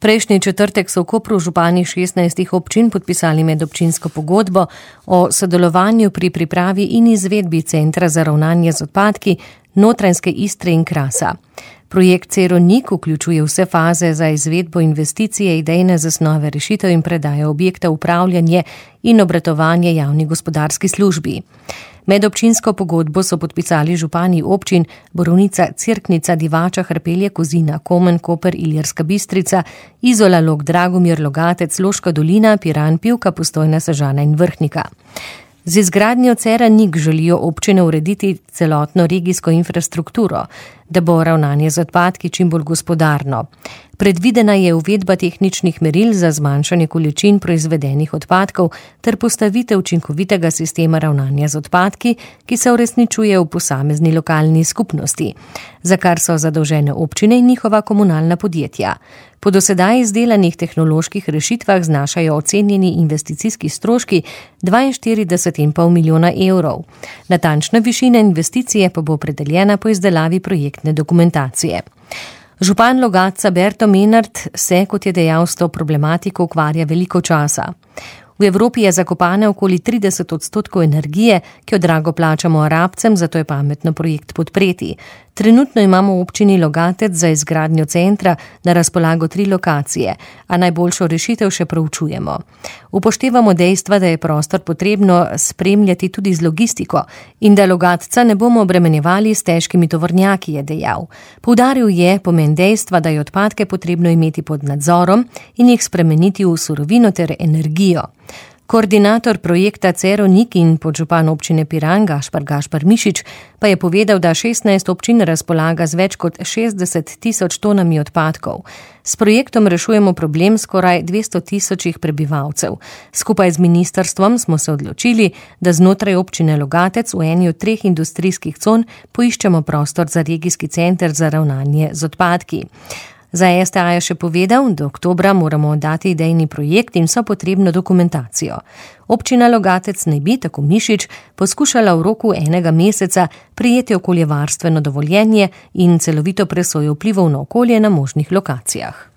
Prejšnji četrtek so v Kopru župani 16 občin podpisali medobčinsko pogodbo o sodelovanju pri pripravi in izvedbi Centra za ravnanje z odpadki Notranjske Istre in Krasa. Projekt Ceronik vključuje vse faze za izvedbo investicije, idejne zasnove rešitev in predaje objekta, upravljanje in obratovanje javni gospodarski službi. Medobčinsko pogodbo so podpisali župani občin Borovnica, Cerknica, Divača, Hrpelje, Kozina, Komen, Koper, Ilirska Bistrica, Izola, Log, Dragomir, Logatec, Loška dolina, Piran, Pivka, Postojna, Sežana in Vrhnika. Z izgradnjo Ceronik želijo občine urediti celotno regijsko infrastrukturo, da bo ravnanje z odpadki čim bolj gospodarno. Predvidena je uvedba tehničnih meril za zmanjšanje količin proizvedenih odpadkov ter postavitev učinkovitega sistema ravnanja z odpadki, ki se uresničuje v posamezni lokalni skupnosti, za kar so zadolžene občine in njihova komunalna podjetja. Po dosedaj izdelanih tehnoloških rešitvah znašajo ocenjeni investicijski stroški 42,5 milijona evrov. Natančna višina investicije pa bo opredeljena po izdelavi projektne dokumentacije. Župan Logatca Berto Menard se, kot je dejal, s to problematiko ukvarja veliko časa. V Evropi je zakopane okoli 30% energije, ki jo drago plačamo Arabcem, zato je pametno projekt podpreti. Trenutno imamo v občini Logatec za izgradnjo centra na razpolago 3 lokacije, a najboljšo rešitev še proučujemo. Upoštevamo dejstva, da je prostor potrebno spremljati tudi z logistiko in da Logatca ne bomo obremenjevali s težkimi tovornjaki, je dejal. Poudaril je pomen dejstva, da je odpadke potrebno imeti pod nadzorom in jih spremeniti v surovino ter energijo. Koordinator projekta Ceronik in podžupan občine Piran Gašpar Mišič pa je povedal, da 16 občin razpolaga z več kot 60,000 tonami odpadkov. S projektom rešujemo problem skoraj 200,000 prebivalcev. Skupaj z ministrstvom smo se odločili, da znotraj občine Logatec v eni od 3 industrijskih con poiščemo prostor za regijski center za ravnanje z odpadki. Za STA je še povedal, do oktobra moramo oddati idejni projekt in vso potrebno dokumentacijo. Občina Logatec naj bi, tako Mišič, poskušala v roku 1 meseca prijeti okoljevarstveno dovoljenje in celovito presojo vplivov na okolje na možnih lokacijah.